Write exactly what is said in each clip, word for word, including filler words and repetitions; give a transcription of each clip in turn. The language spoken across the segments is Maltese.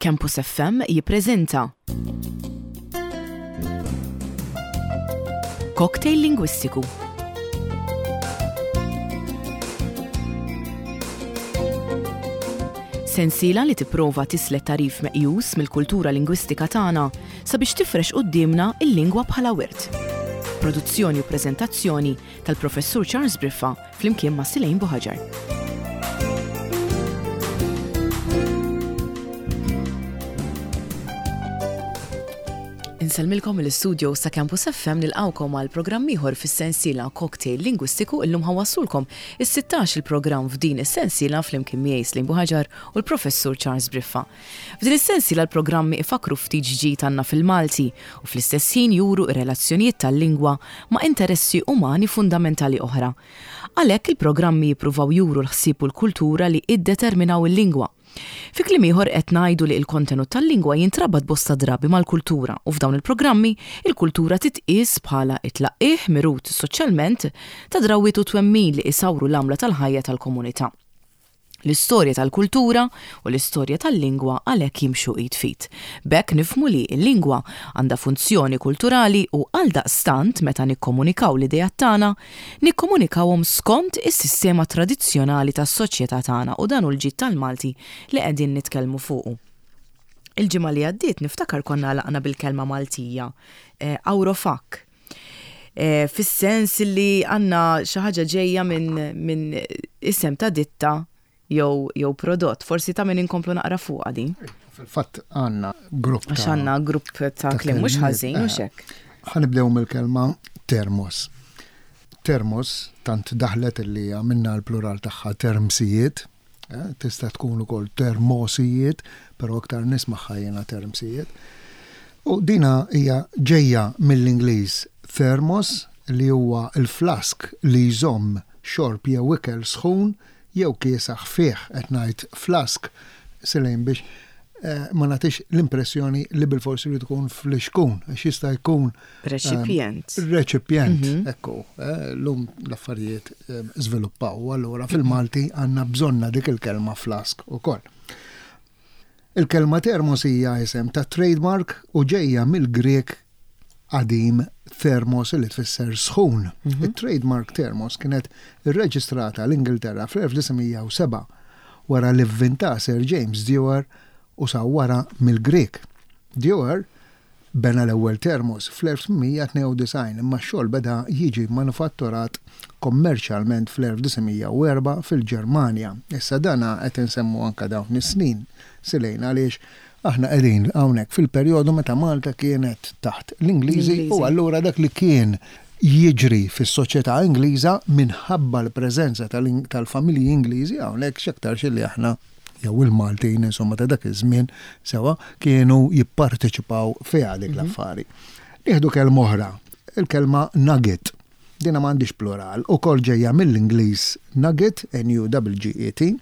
Campus F M jippreżenta Cocktail Lingwistiku. Sensiela li tipprova tislet tagħrif meqjus mill-kultura lingwistika tagħna sabiex tifrex quddiemna il-lingwa bħala wirt. Produzzjoni u preżentazzjoni tal-Professur Charles Briffa flimkien ma' Silejn Buħaġar. Insellmilkom mill-istudio sa' Campus F M, nilqawkom għal programm ieħor fis-sensiela Cocktail Lingwistiku. Illum ħa nwasslulkom is-sittax il-programm f'din is-sensiela flimkien miegħi, Slim Buħaġar, u l-Professur Charles Briffa. F'din is-sensiela l-programmi ifakru ftit ġid għandna fil-Malti u fl-istess ħin juru ir-relazzjonijiet tal-lingwa ma' interessi umani fundamentali oħra. Għalhekk il-programmi jippruvaw juru l-ħsieb u l-kultura li iddeterminaw il-lingwa. Fi kliem ieħor, qed ngħidu li l-kontenut tal-lingwa jintrabat bosta drabi mal-kultura u f'dawn il-programmi il-kultura titqies bħala it-tlaqqih mirut soċjalment ta' drawwiet u twemmin li isawru l-għamla tal-ħajja tal-komunità. L-istorja tal-kultura u l-istorja tal-lingwa għalhekk jimxu id f'id. B'hekk nifhmu li l-lingwa għandha funzjoni kulturali u għaldaqstant meta nikkomunikaw l-idejat tagħna, nikkomunikawhom skont is-sistema tradizzjonali tas-soċjetà tagħna, u dan hu l-ġid tal-Malti li qegħdin nitkellmu fuqu. Il-ġimgħa li għaddiet niftakar konna għalaqna bil-kelma Maltija, eh, awrofak. Eh, Fis-sens li għandna xi ħaġa ġejja minn min isem ta' ditta jew jew prodott. Forsi ta' min inkomplu naqra fuqha din. Fil-fatt għandna grupp Għax ta' għandna grupp ta' ta' kliem mhux kelmiet, ħażin, mhux eh. hekk. Ħa nibdew mill-kelma termos. Termos tant daħlet li għamilna l-plural tagħha termsijiet, eh, tista' tkun ukoll termosijiet, però aktar nismagħha jiena termsijiet. U dina hija ġejja mill-Ingliż thermos, li huwa il-flask li jżomm xorb jew ikel sħun jew kiesaħ fih. Qed ngħid flask, Silejn, biex eh, ma nagħtix l-impressjoni li bil-forsi li tkun flixkun, għax jista' jkun Reċipjent. Reċipjent, ekku, eh, l-lum l-affarijiet eh, żviluppaw, allura fil-Malti għandna bżonna dik il-kelma flask ukoll. Il-kelma termos hija isem ta' trademark u ġejja mill-Grek qadim thermos, li tfisser sħun. Il-trademark termos kienet irreġistrata l-Ingilterra fl-elf disa' mija u sebgħa wara li vvinta Sir James Dewar u sawwara mill-Grek. Dewar bena l-ewwel termos fl-elf tmien mija tnejn u disgħin, imma x-xogħol beda jiġi manufatturat kommerċjalment fl-elf disa' mija u erbgħa fil-Ġermanja. Issa dana qed insemmu anka dawn is-snin, Silejn, għaliex aħna qegħdin hawnhekk fil-perjodu meta Malta kienet taħt l-Ingliżi u L-Ingliżi. allura dak li kien jiġri fis-soċjetà Ingliża minħabba l-preżenza tal- tal-familji Ingliżi hawnhekk, x'aktarx li aħna jew il-Maltin insomma ta' dak iż-żmien sewa kienu jipparteċipaw fiha dik l-affari. Nieħdu kelma oħra, il-kelma nugget. Dina m'għandix plural, ukoll ġejja mill-Ingliż nugget, N U G G E T,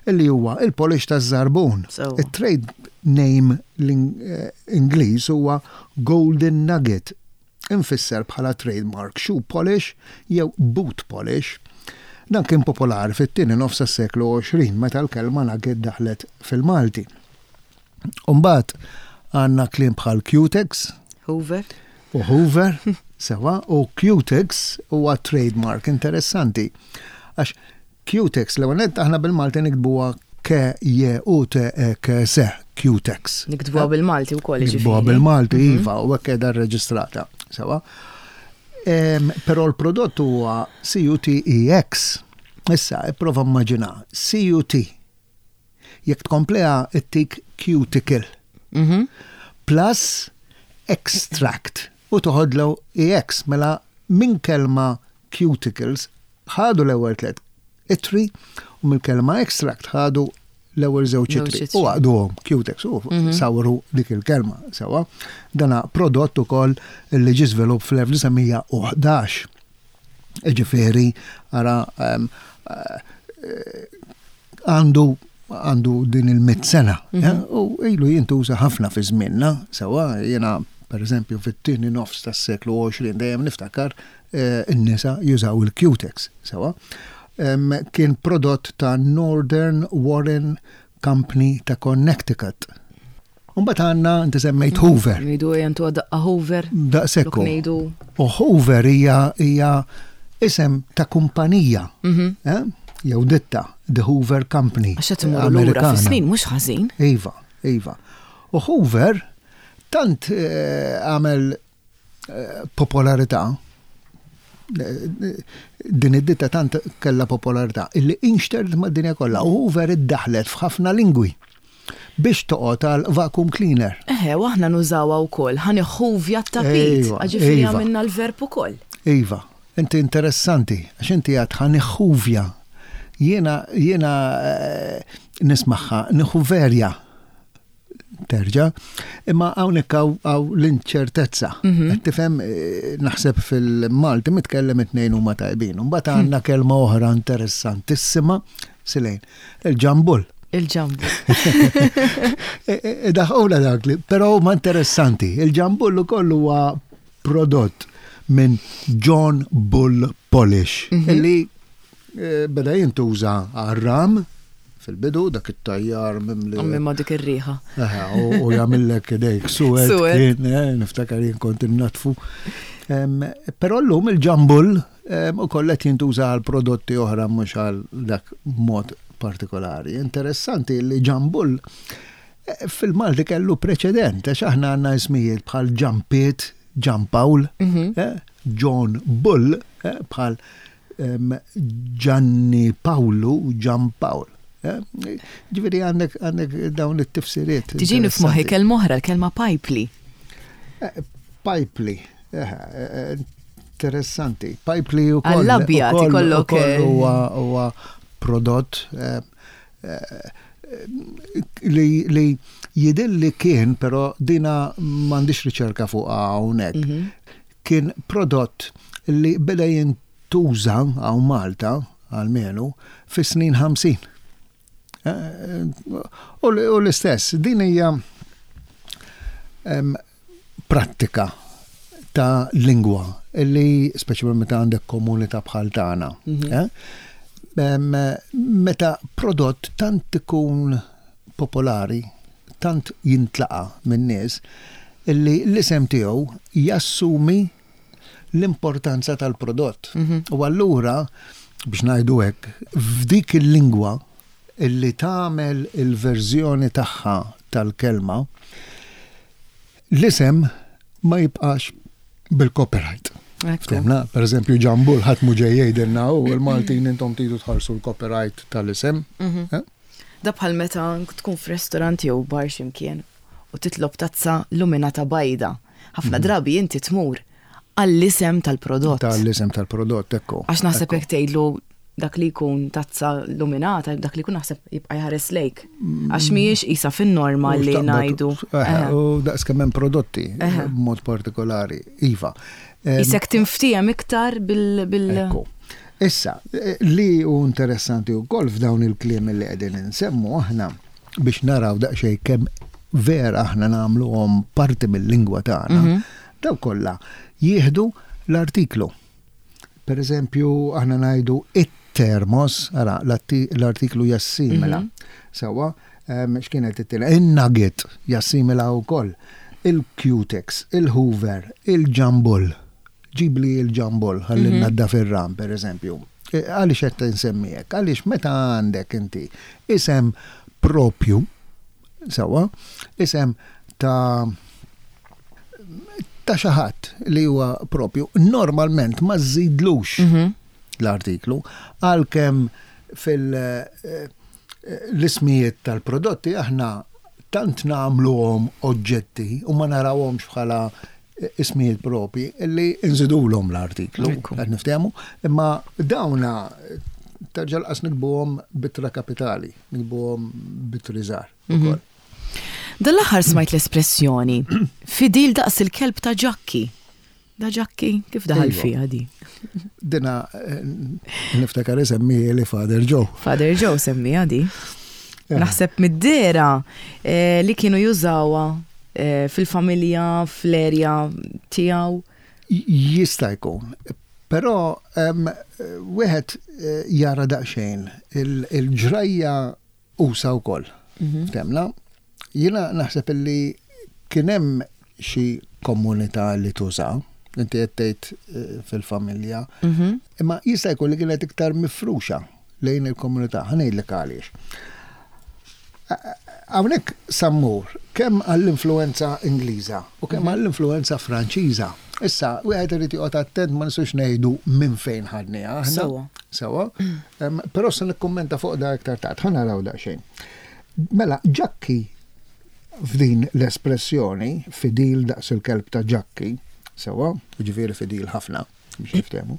illi huwa il-polish taż-żarbun. So. Il-trade name l- eh, Ingliż huwa Golden Nugget, infisser bħala trademark shoe polish jew boot polish. Dan kien popolari fit-tieni nofs tas-seklu għoxrin meta l-kelma nugget daħlet fil-Malti. Umbagħad għandna kliem bħal Cutex Hoover. U Hoover, sewa, u Cutex huwa trademark interessanti. Għax Cutex, l nett aħna bil-Malti niktbuha K J U T E K S, Cutex. Niktbuha bil-Malti wkoll. Niktbuha Ġifieri. bil-Malti, iva, u hekk qiegħda rreġistrata. Sewa. Em, Però l-prodott huwa C U T E X. Issa, ipprova immaġina, C U T. Jekk tkompleha ittik cuticle Mhm. plus extract u toħodlu E X, mela minn kelma cuticles ħadu l-ewwel tliet ittri u mill-kelma extract ħadu l-ewwel żewġ Żewġ ittri ittri. u għaqduhom Cutex u sawru dik il-kelma sewa. Dana prodott ukoll li ġie żvilupp fl-elf disa' mija u ħdax. Ġifieri, ara, em, eh, għandu għandu din il-mit sena, eh, u ilu jintuża ħafna fi żmienna, sewa. Jena per eżempju fit-tieni nofs tas-seklu għoxrin dejjem niftakar eh, in-nisa jużaw il-Cutex, sewa. Em, Kien prodott ta' Northern Warren Company ta' Connecticut. Mbagħad għandna, inti semmejt Hoover. Ngħidu jentu daqqa Hoover. Daqshekk. Lok ngħidu. U Hoover hija hija isem ta' kumpanija. Mhm. Eh? Jew ditta, The Hoover Company. Għax qed imorru lura Amerikana. fis-snin mhux ħażin. Iva, iva. U Hoover tant eh, għamel eh, popolarità, eh, din id-ditta tant kella popolarità, illi inxterdet mad-dinja kollha. U Hoover iddaħlet f'ħafna lingwi biex toqgħod għal vacuum cleaner. Eħe, u aħna nużawha wkoll, ħa niħħuvja t-tapit, Iva, ġifieri iva. għamilna l-verb ukoll. Iva, inti interessanti, għax inti għad ħa niħħuvja. Jiena, jiena eh, nismagħha, niħuverja. Terġa, imma hawnhekk hawn hawn l-inċertezza. Qed tifhem, eh, naħseb fil-Malti mitkellem it-tnejn huma tajbin. Mbagħad għandna kelma oħra interessantissima, Silejn, il-ġambul. Il-ġambu. Daħqula dak li, però huma interessanti. Il-ġambull ukoll huwa prodott minn John Bull Polish, illi eh, beda jintuża għar-ram fil-bidu, dak it-tajjar mimli. Għammi ma dik ir-riħa. Aha, u u jagħmillek idejk suwed, Suwed. kien, eh, niftakar jien kont innatfu. Em, Però llum il-ġambull em, ukoll qed jintuża għal prodotti oħra, mhux għal dak mod partikolari. Interessanti li ġambull eh, fil-Malti kellu preċedent, għax aħna għandna ismijiet bħal Ġampiet, Ġampawl, eh, John Bull, eh, bħal em, Gianni Paolo, Gian Paul. Eh, Ġifieri għandek għandek dawn it-tifsiriet. Tiġini f'moħħi interessanti. kelma oħra, l-kelma pajpli. Eh, Pajpli, eh, eh, interessanti. Pajpli u koll. Għall-abjad ikollok, eh, Huwa huwa prodott eh, eh, li, li jidilli kien, però dina m'għandix riċerka fuq hawnhekk. Mhm. Kien prodott li beda jintuża hawn Malta, almenu, fis-snin ħamsin. Eh, U l- u l-istess, din hija em, prattika ta' lingwa illi speċjalment meta għandek komunità bħal tagħna. eh? Em, Meta prodott tant ikun popolari, tant jintlaqa minn nies, illi l-isem tiegħu jassumi l-importanza tal-prodott. U allura, biex ngħidu hekk, f'dik il-lingwa illi tagħmel il-verżjoni tagħha tal-kelma, l-isem ma jibqax bil-copyright. Ekku. Ftemna, per eżempju, ġambul ħadd mhu ġej jgħidilna u l-Maltin intom tridu tħarsu l-copyright tal-isem. Eh? Da bħal meta tkun f'restorant jew bar x'imkien u titlob tazza luminata bajda. Ħafna drabi inti tmur għall-isem tal-prodott. Tal-isem tal-prodott, ekku. Għax naħseb Ekku. jekk tgħidlu dak li jkun tazza luminata, dak li jkun naħseb jibqa' jħares lejk. Għax mhijiex isa fin-norma U li xtaqbad- ngħidu. Eh, Eħe. U daqs kemm hemm prodotti Eħe. b'mod partikolari. Iva. Em, Isek tinftiehem iktar bil- bil. Ekku. Issa, eh, li hu interessanti wkoll f'dawn il-kliem li qegħdin insemmu aħna biex naraw daqsxejn kemm vera aħna nagħmluhom parti mill-lingwa tagħna, daw kollha jieħdu l-artiklu. Per eżempju, aħna ngħidu it-termos, ara, l-atti- l-artiklu jassimila. Sawa, em, x'kienet it-tieni? In-nugget jassimila wkoll. Il-Cutex, il-Hoover, il-Jambul. Ġibli il-ġambol, ħalli mm naddaf ir-ram, per eżempju. E, Għaliex qed insemmi hekk? Għaliex meta għandek inti isem propju, sawa, isem ta' ta' xi ħadd li huwa propju, normalment ma żidlux l-artiklu, għalkemm fil- eh, l-ismijiet tal-prodotti aħna tant nagħmluhom oġġetti u ma narawhomx bħala ismijiet propi illi nżidulhom l-artiklu, Ekku. qed niftehmu, imma dawna terġa' laqas nikbuhom b'ittra kapitali, nikbuhom b'ittri żgħar ukoll. Dal-aħħar smajt l-espressjoni fidil daqs il-kelb ta' Ġakki. Da Ġakki, kif daħal Iva. fiha di? Dina eh, niftakar isemmi li Father Joe. Father Joe semmija di. Eh. Naħseb mid-dera eh, li kienu jużawha eh, fil-familja, fl-erja tiegħu. Jista' jkun. Però em, wieħed eh, jara daqsxejn il- il-ġrajja usa wkoll. Ftemna? Jiena naħseb illi kien hemm xi komunità li tuża, inti qed tgħid eh, fil-familja, Mhm. imma jista' jkun li kienet iktar mifruxa lejn il-komunità, ħa ngħidlek għaliex. Hawnhekk sa mmur kemm għall-influenza Ingliża u kemm għall-influenza Franċiża. Issa, wieħed irid joqgħod attent, ma nistgħux ngħidu minn fejn ħadniha aħna. Sewwa. Sewwa. Em, Però se nikkummenta fuq da iktar tard, ħa naraw daqsxejn. Mela, Ġakki f'din l-espressjoni, fidil daqs il-kelb ta' Ġakki, sewwa, ġifieri fidil ħafna, biex niftehmu.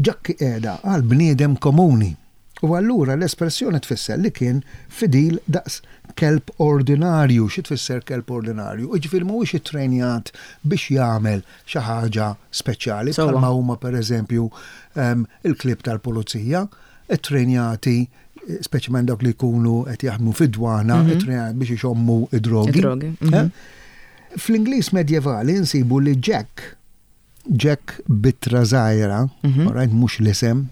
Ġakki qiegħda għal bniedem komuni. U allura l-espressjoni tfisser li kien fidil daqs kelb ordinarju. Xi tfisser kelb ordinarju? Ġifieri mhuwiex ittrenjat biex jagħmel xi ħaġa speċjali Sewwa. bħalma huma, pereżempju, em, il-klieb tal-pulizija, ittrenjati, eh, speċjalment dawk li jkunu qed jaħdmu fid-dwana, ittrenjati biex ixommu id-drogi. Id-drogi, mhm. Eh? Fl-Ingliż medjevali nsibu li Jack, Jack b'ittra żgħira, Mhm. alright, mhux l-isem,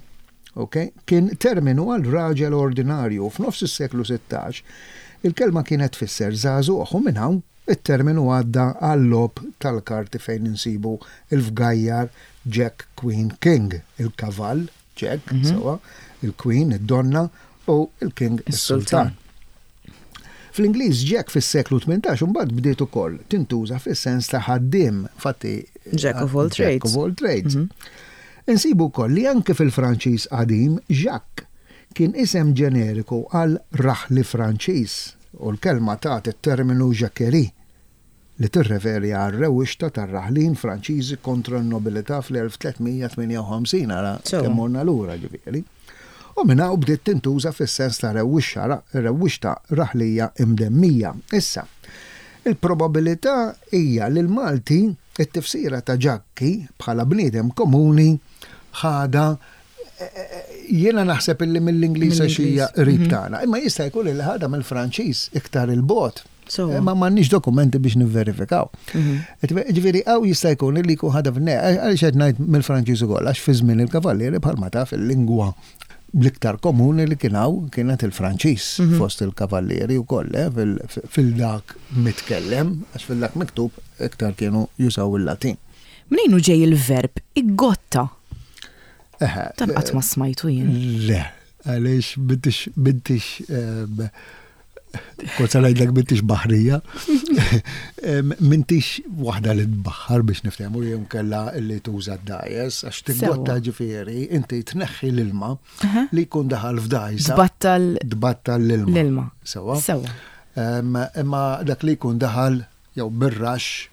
ok, kien terminu għal raġel ordinarju. F'nofs is-seklu sittax, il-kelma kienet tfisser żagħżugħ u minn hawn it-terminu għadda għal-logħob tal-karti fejn insibu il-fgajjar Jack, Queen, King, il-kavall Jack, Mhm. sewwa, il-Queen, id-donna u il-King, Is-sultan. is-sultan. Fl-Ingliż Jack fis-seklu tmintax imbagħad bdiet ukoll tintuża fis-sens ta' ħaddiem, fatti Jack of all Jack trades. of all trades. Mhm. Insibu wkoll li anke fil-Franċiż qadim Jacques kien isem ġeneriku għal raħli Franċiż u l-kelma tat it-terminu jacquerie li tirreferi għal rewwixta tar-raħlin Franċiżi kontra n-nobilità fl-elf tliet mija tmienja u ħamsin, ara Sewwa. kemm morna lura ġifieri. U minn hawn bdiet tintuża fis-sens ta' rewwixxa rewwixta raħlija imdemmija. Issa, il-probabilità hija li l-Malti it-tifsira ta' Ġakki bħala bniedem komuni ħada, jiena naħseb illi mill-Ingliż għax hija Mill-Ingliż. qrib tagħna, imma jista' jkun li ħada mill-Franċiż iktar il-bogħod. Sewwa. Ma m'għandniex dokumenti biex nivverifikaw. Mhm. Ġifieri hawn jista' jkun li jkun ħada f'ne, għaliex qed ngħid mill-Franċiż ukoll, għax fi żmien il-kavallieri, bħalma taf, il-lingwa l-iktar komuni li kien hawn kienet il-Franċiż Mhm. fost il-kavallieri wkoll, eh, fil- fil-dak mitkellem, għax fil-dak miktub iktar kienu jużaw il-Latin. Mnejn hu ġej il-verb iggotta? Eħe, Dan qatt ma smajtu jien. Le, għaliex m'intix, m'intix, em, kont sa ngħidlek m'intix baħrija, Em, m'intix waħda li tbaħħar, biex niftehmu, jew kella li tuża d-dgħajjes, għax tiggotta Sewwa. ġifieri, inti tneħħi l-ilma Aha. li jkun daħal f'dgħajsa. Tbattal Tbattal l-ilma. l-ilma. Sewwa. Sewwa. Em, Imma dak li jkun daħal jew bir-rax.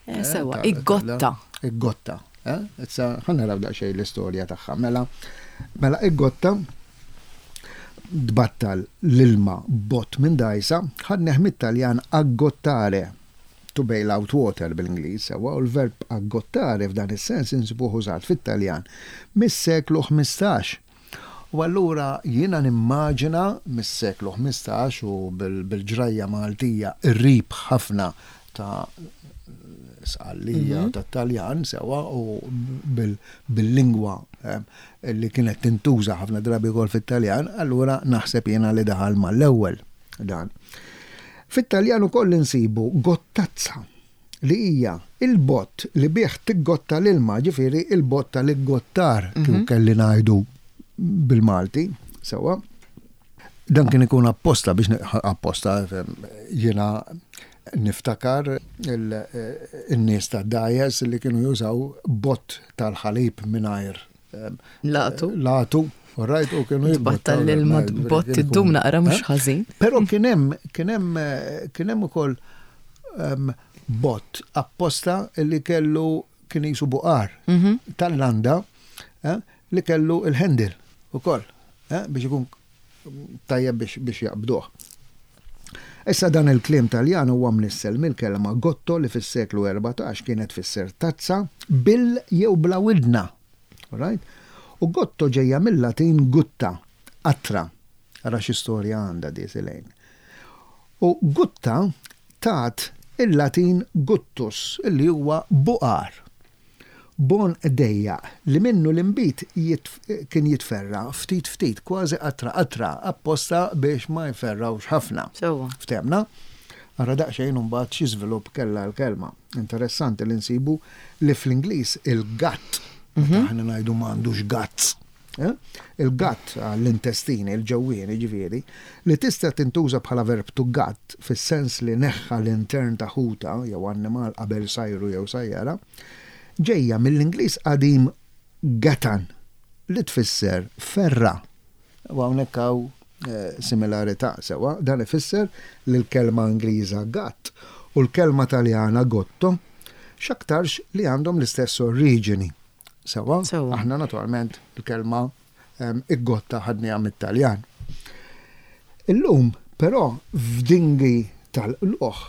Eh, Sewwa, ta' iggotta. Iggotta. eh? Issa ħa naraw daqsxejn l-istorja tagħha. Mela, mela iggotta, tbattal l-ilma bott minn dgħajsa, ħadnieh mit-Taljan aggottare, to bail out water bil-Ingliż, sewwa, u l-verb aggottare f'dan is-sens insibuh użat fit-Taljan mis-seklu ħmistax. U allura jiena nimmaġina mis-seklu ħmistax u bil- bil-ġrajja Maltija qrib ħafna ta' Sqallija mm ta' Taljan, sewwa, u bil- bil-lingwa em, li kienet tintuża ħafna drabi wkoll fit-Taljan, allura naħseb jiena li daħal mal-ewwel dan. Fit-Taljan ukoll insibu gottazza, li hija il-bott li bih tiggotta l-ilma, ġifieri il-bott tal-iggottar, kif kelli ngħidu bil-Malti, sewwa. Dan kien ikun apposta biex ne- apposta fem, jiena niftakar il- in-nies ta' dgħajjes li kienu jużaw bott tal-ħalib mingħajr em, Latu. Latu, right, u kienu Tbattal jibbottaw l-ilma l-ilma, bott kien ikun- iddum naqra mhux Eh? ħażin. Però kien hemm kien hemm eh, kien hemm ukoll em, bott apposta li kellu kien jisu buqar Mhm. tal-landa, eh, li kellu il-handle ukoll, eh, biex ikun tajjeb biex, biex jaqbduh. Issa, dan il-kliem Taljan huwa mnissel mill-kelma gotto li fis-seklu erbatax kienet tfisser tazza bil jew bla widna. Right? U gotto ġejja mill-Latin gutta, qatra. Ara xi storja għandha di Silejn. U gutta tat il-Latin guttus, illi huwa buqar. B'għonq dejjaq li minnu l-inbid kien jitferra ftit ftit, kważi qatra qatra, apposta biex ma jferrawx ħafna. Sewwa. Ftehmna? Ara daqsxejn imbagħad xi żvilupp kellha l-kelma. Interessanti li nsibu li fl-Ingliż il-gut, meta aħna ngħidu m'għandux guts. Eh? Il-gut għall-intestini, il-ġewwieni ġifieri, li tista' tintuża bħala verb to gut fis-sens li neħħa l-intern ta' ħuta jew annimal qabel sajru jew sajjara, ġejja mill-Ingliż qadim gatan li tfisser ferra. U hawnhekk hawn eh, similarità sewwa, dan ifisser li l-kelma Ingliża gut u l-kelma Taljana gotto x'aktarx li għandhom l-istess oriġini. Sewwa, Sewwa. aħna naturalment il-kelma um, iggotta ħadniha mit-Taljan. Illum, però, f'dingi tal-qluħ,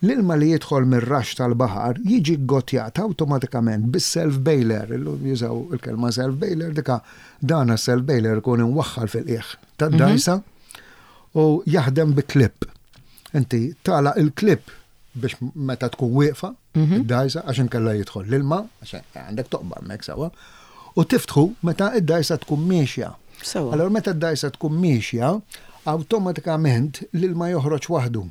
l-ilma li jidħol mir-raxx tal-baħar jiġi ggottjat awtomatikament bis-self bailer. Illum jużaw il-kelma self bailer, dika dana self bailer ikun imwaħħal fil-qiegħ tad-dajsa u jaħdem bi clip. Inti tagħlaq il-clip biex meta tkun wieqfa id-dajsa għax inkella jidħol l-ilma, għax għandek toqba hemmhekk sewwa, u tiftħu meta id-dajsa tkun miexja. Sewwa. Allora meta d-dajsa tkun miexja, awtomatikament l-ilma joħroġ waħdu.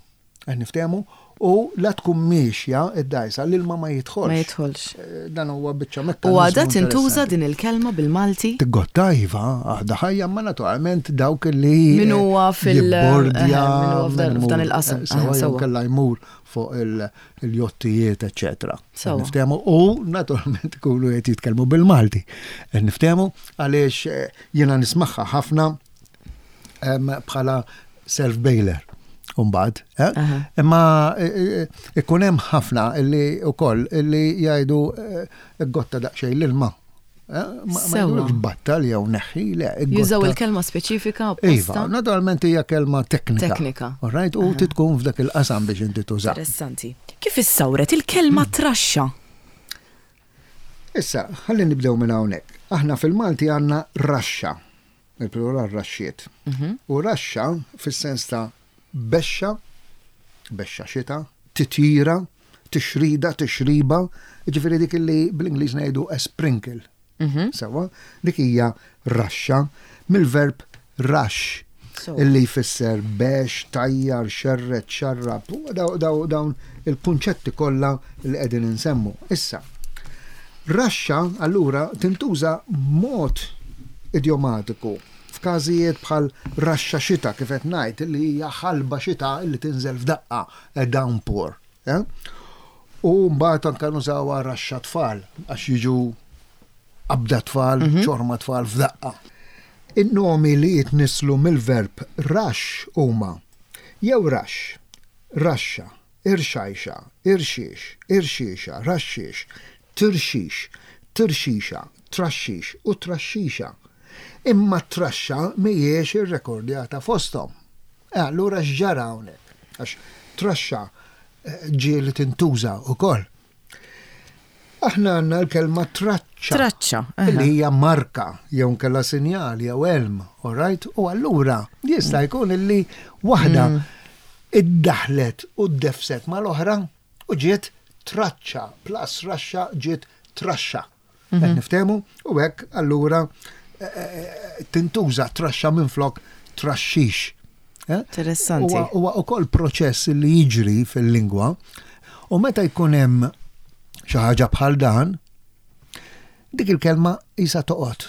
Qed niftehmu u la tkun miexja id-dajsa l-ilma ma jidħolx. Ma jidħolx. Eh, Dan huwa biċċa U mekkaniżmu għadha tintuża interessanti. din il-kelma bil-Malti? Tiggotta iva, għadha ħajja, ma naturalment dawk li Min huwa fil- jibbordja, eh, min huwa f'dan- min f'dan imur, il-qasam. eh, Sewwa Eh, jew sewwa. kella jmur fuq il- il-jottijiet, eccetera. Sewwa. Niftehmu u naturalment ikunu qed jitkellmu bil-Malti. Niftehmu għaliex eh, jiena nismagħha ħafna em, bħala self-bailer. Umbad, eh? Aha. Imma eh, eh, ikun hemm ħafna illi ukoll illi jgħidu eh, gotta daqsxejn l-ilma. Eh, Ma ma Sewwa. jgħidulekx battal jew neħħi, le. Jużaw gotta. il-kelma speċifika Iva, apposta? naturalment hija kelma teknika. Teknika. All right, u titkun f'dak il-qasam biex inti tuża. Interessanti. Kif issawret il-kelma traxxa? Issa, ħalli nibdew minn hawnhekk. Aħna fil-Malti għandna raxxa, il-plural raxxiet. U raxxa fis-sens ta' bexxa, bexxa xita, titjira, tixrida, tixriba, ġifieri dik li bl-Ingliż ngħidu a sprinkle. Sewwa, dik hija raxxa mill-verb rush Sewwa. illi jfisser bex, tajjar, xerred, xarrab, u daw- daw- dawn il-kunċetti kollha li qegħdin insemmu. Issa, raxxa allura tintuża mod idiomatiku f'każijiet bħal raxxa xita kif qed ngħid li hija ħalba xita li tinżel f'daqqa, a downpour. Eh? U mbagħad anke nużawha raxxa tfal għax jiġu qabda tfal, ċorma tfal f'daqqa. In-nomi li jitnislu mill-verb raxx huma jew raxx, raxxa, irxajxa, irxiex, irxiexa, raxxiex, tirxix, tirxixa, traxxix u traxxixa. Imma traxxa mhijiex irrekordjata fosthom. E allura x'ġara hawnhekk? Għax traxxa eh, ġieli tintuża wkoll. Aħna għandna l-kelma traċċa. Traċċa. aha. Li hija marka jew nkella sinjal jew elm, all right? U allura jista' jkun illi waħda iddaħlet u ddefset mal-oħra u ġiet traċċa plus raxxa ġiet traxxa. Qed niftehmu u hekk allura eh, eh, tintuża traxxa minflok traxxix. Eh? Interessanti. Huwa huwa wkoll proċess li jiġri fil-lingwa u meta jkun hemm xi ħaġa bħal dan, dik il-kelma isa toqgħod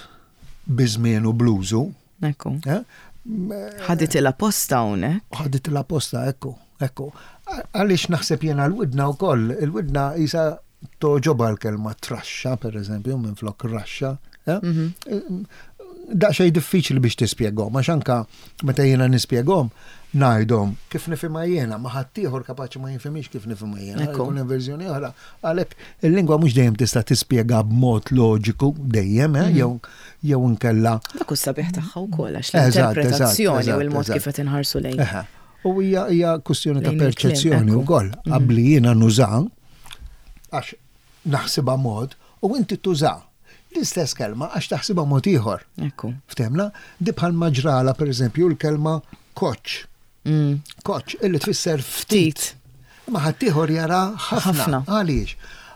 biżmien u bluzu, Ekku. eh? Ħadit il-apposta hawnhekk. ħadit l-apposta, ekku, ekku. Għaliex naħseb jena l-widna u koll, il-widna isa toġoba l-kelma traxxa, per eżempju, minn flok raxxa. Eh? Daqsxejn diffiċli biex tispjegom, għax anka meta jiena nispjegom, ngħidhom kif nifhimha jiena, ma ħaddieħor kapaċi ma jinfhimix kif nifhimha jiena, Ekku. jkun hemm verżjoni oħra. Għalhekk il-lingwa mhux dejjem tista' tispjega b'mod loġiku dejjem, eh, jew jew inkella Dak hu sabiħ tagħha wkoll għax Eżatt, eżatt, l-interpretazzjoni u eżatt, l-mod eżatt. kif qed inħarsu lejn. Eħe. U hija hija kwestjoni ta' Lejn il-kliem, perċezzjoni ekku. wkoll. Qabli jiena nuża għax naħsibha mod u inti tuża l-istess kelma għax taħsibha mod ieħor. Ekku. Ftehmna, di bħal maġrala per eżempju l-kelma koċ. Mm. Koċ, illi tfisser ftit. Ftit. Ma ħaddieħor jara ħafna. Ħafna. Għaliex?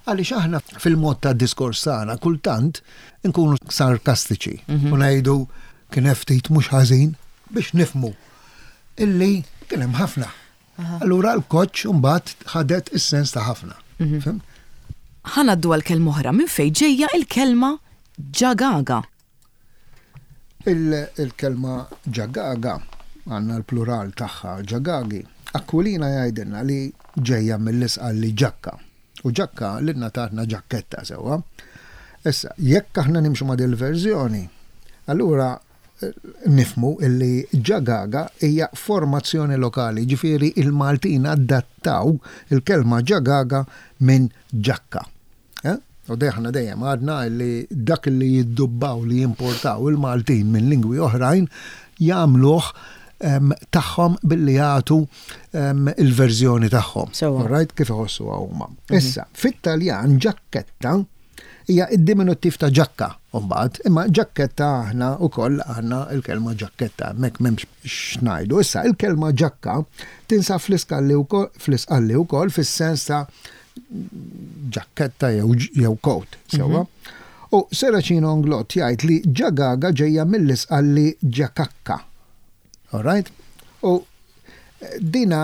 Għaliex aħna fil-mod ta' diskors tagħna kultant nkunu sarkastiċi u ngħidu kien ftit mhux ħażin biex nifhmu illi kien hemm ħafna. Allura l-koċ mbagħad ħadet is-sens ta' ħafna. Fhimt? Ħa ngħaddu għal kelma oħra. Minn fejn ġejja il-kelma ġagaga? Il- Il-kelma ġagaga, għandna l-plural tagħha ġagagi. Aquilina jgħidilna li ġejja mill-Isqalli ġakka. U ġakka lilna tatna ġakketta, sewwa. Issa, jekk aħna nimxu ma' dil-verżjoni, allura eh, nifhmu illi ġagaga hija formazzjoni lokali, ġifieri il-Maltin adattaw il-kelma ġagaga minn ġakka. Eh? U aħna dejjem għadna li dak li jiddubbaw, li jimportaw il-Maltin minn lingwi oħrajn, jagħmluh em, tagħhom billi jagħtu em, il-verżjoni tagħhom. Sewwa. Alright, kif iħossu huma. Issa, fit-Taljan ġakketta hija id-diminuttiv ta' ġakka mbagħad, imma ġakketta aħna wkoll għandna il-kelma ġakketta, hemmhekk m'hemmx x'ngħidu. Issa, il-kelma ġakka tinsab fl-Isqalli wkoll fl-Isqalli wkoll fis-sens ta' ġakketta jew jew coat, sewwa. U Serracino Inglott jgħid li ġagaga ġejja mill-Isqalli ġakakka. All right? U dina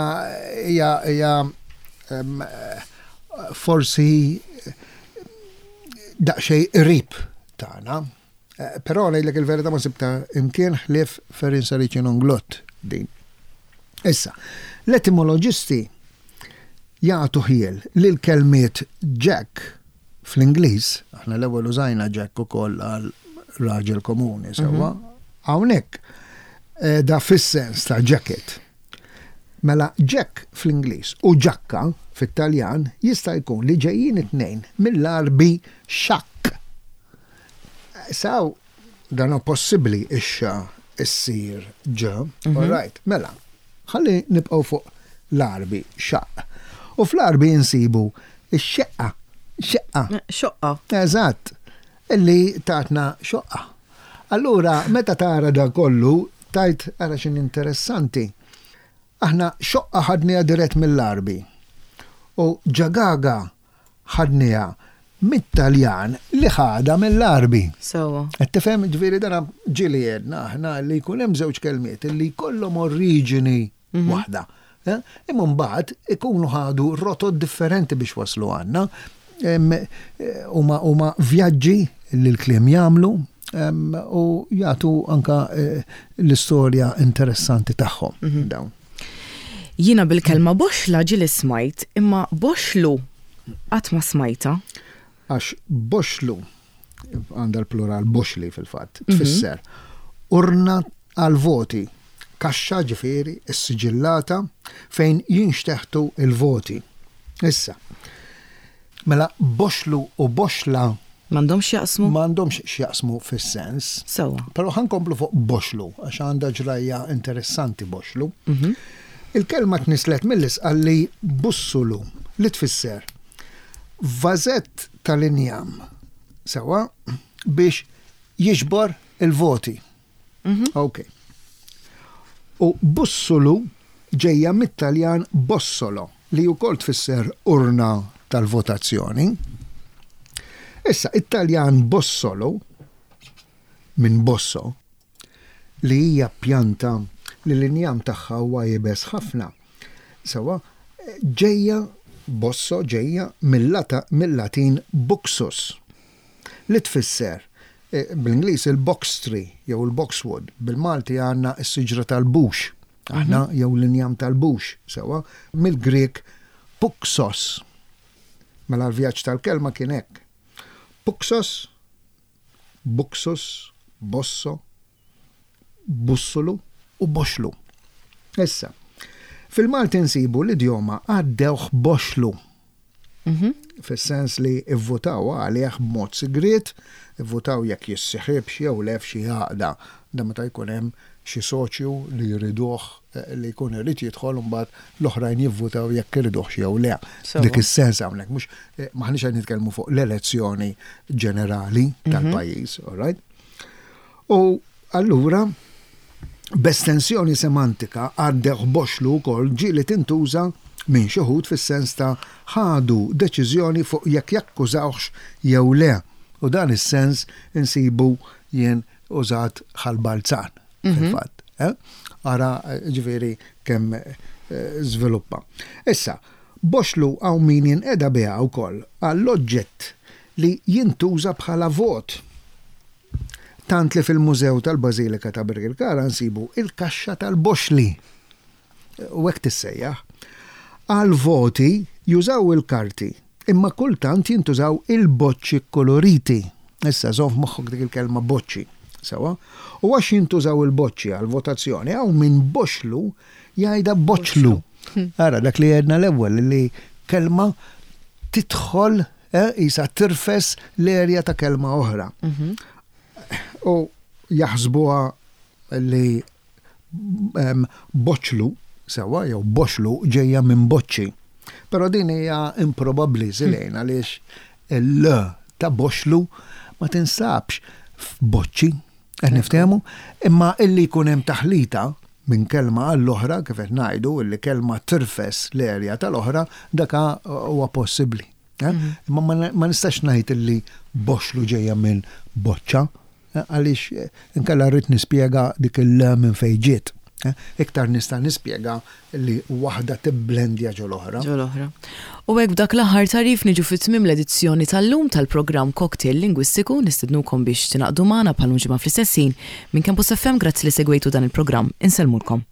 hija hija em, forsi daqsxejn qrib tagħna. Eh, Però ngħidlek il-verità, ma sibta imkien ħlief Ferin Serracino Inglott din. Issa, l-etimoloġisti jagħtu ħjiel li l-kelmiet Jack fl-Ingliż, aħna l-ewwel użajna Jack ukoll għal raġel komuni, sewwa, hawnhekk eh, da fis-sens ta' jacket. Mela Jack fl-Ingliż u ġakka fit-Taljan jista' jkun li ġejjin it-tnejn mill-Arbi xakk. Saw dan hu possibbli ix-xa issir ġa, all right, mela, ħalli nibqgħu fuq l-Arbi xaqq. U fl-Arbi insibu ix-xeqqa, xeqqa. Xoqqa. Eżatt, illi tatna xoqqa. Allura, meta tara da kollu, tgħid ara x'inhi interessanti. Aħna xoqqa ħadniha dirett mill-Arbi. U ġagaga ħadniha mit-Taljan li ħadha mill-Arbi. Sewwa. Qed tifhem, ġifieri dana ġieli għedna aħna li jkun hemm żewġ kelmiet li jkollhom oriġini waħda. Eh? Imma mbagħad ikunu ħadu rotot differenti biex waslu għandna. Em, eh, Huma huma vjaġġi li l-kliem jagħmlu em, u jagħtu anka eh, l-istorja interessanti tagħhom dawn. Jiena bil-kelma boxla ġieli smajt, imma boxlu qatt ma smajta. Għax boxlu, għandha l-plural boxli fil-fatt, tfisser urna għal-voti, kaxxa ġifieri, is-siġillata fejn jinxteħtu il-voti. Issa, mela boxlu u boxla M'għandhomx jaqsmu? M'għandhomx x'jaqsmu fis-sens. Sewwa. Però ħa nkomplu fuq boxlu, għax għandha ġrajja interessanti boxlu. Il-kelma tnislet mill-Isqalli bussulu, li tfisser vażett tal-injam, sewwa, biex jiġbor il-voti. Ok. U bussulu ġejja mit-Taljan bossolo, li wkoll tfisser urna tal-votazzjoni. Issa, it-Taljan bossolo, minn bosso, li hija pjanta li l-injam tagħha huwa iebes ħafna. Sewwa, ġejja bosso ġejja mill-Latin buxus, li tfisser eh, bl-Ingliż il-box tree jew il-boxwood, bil-Malti għandna s-siġra tal-bux, aħna jew l-injam tal-bux, sewwa, mill-Grek puxos. Mela l-vjaġġ tal-kelma kien hekk. Puxos, buxus, bosso, bussulu u boxlu. Issa, fil-Malti nsibu l-idjoma għaddewh boxlu. Fis-sens li ivvutaw għalih b'mod sigriet, ivvutaw jekk jissieħibx jew le f'xi għaqda. Da meta jkun hemm xi soċju li jriduh eh, li jkun irid jidħol, mbagħad l-oħrajn jivvutaw jekk iriduh jew le. Sewwa. Dik is-sens hawnhekk mhux eh, m'aħniex qed nitkellmu fuq l-elezzjoni ġenerali tal-pajjiż, all right? U allura b'estensjoni semantika għaddew boxlu wkoll ġieli tintuża minn xi wħud fis-sens ta' ħadu deċiżjoni fuq jekk jakkużawx jew le. U dan is-sens insibu jien użat Ħal Balzan, fil-fatt. Eh? Ara, ġifieri kemm eh, żviluppa. Issa, boxlu hawn min jinqeda biha wkoll għall-oġġett li jintuża bħala vot. Tant li fil-Mużew tal-Bażilika ta' Birkirkara nsibu il-kaxxa tal-boxli. U hekk tissejjaħ. Għal voti jużaw il-karti, imma kultant jintużaw il-boċċi koloriti. Issa, żomm f'moħħok dik il-kelma boċċi. Sewa? U għax jintużaw il-boċċi għal votazzjoni, hawn min boxlu jgħidha boċlu. Ara, dak li għedna l-ewwel li kelma tidħol eh, isa tirfes l-erja ta' kelma oħra. U jaħsbuha li em, boċlu, sewa, jew boxlu ġejja minn boċċi. Però din hija improbabbli silejn għaliex il-l ta' boxlu ma tinsabx f'boċċi, qed niftehmu, imma illi jkun hemm taħlita minn kelma għall-oħra, kif qed ngħidu, illi kelma tirfes l-erja tal-oħra, daka huwa possibbli. Eh? Imma ma ma nistax ngħid illi boxlu ġejja minn boċċa, eh, għaliex eh, inkella rrid nispjega dik il minn fejn ġiet. eh. Iktar nista' nispjega li waħda tibblendja ġo l-oħra. Ġo l-oħra. U hekk b'dak l-aħħar tagħrif niġu fi tmiem l-edizzjoni tal-lum tal-programm Cocktail Lingwistiku. Nistednukom biex tingħaqdu magħna bħal ġimgħa fl-istess ħin minn Campus F M. Grazzi li segwejtu dan il-programm. Insellmulkom.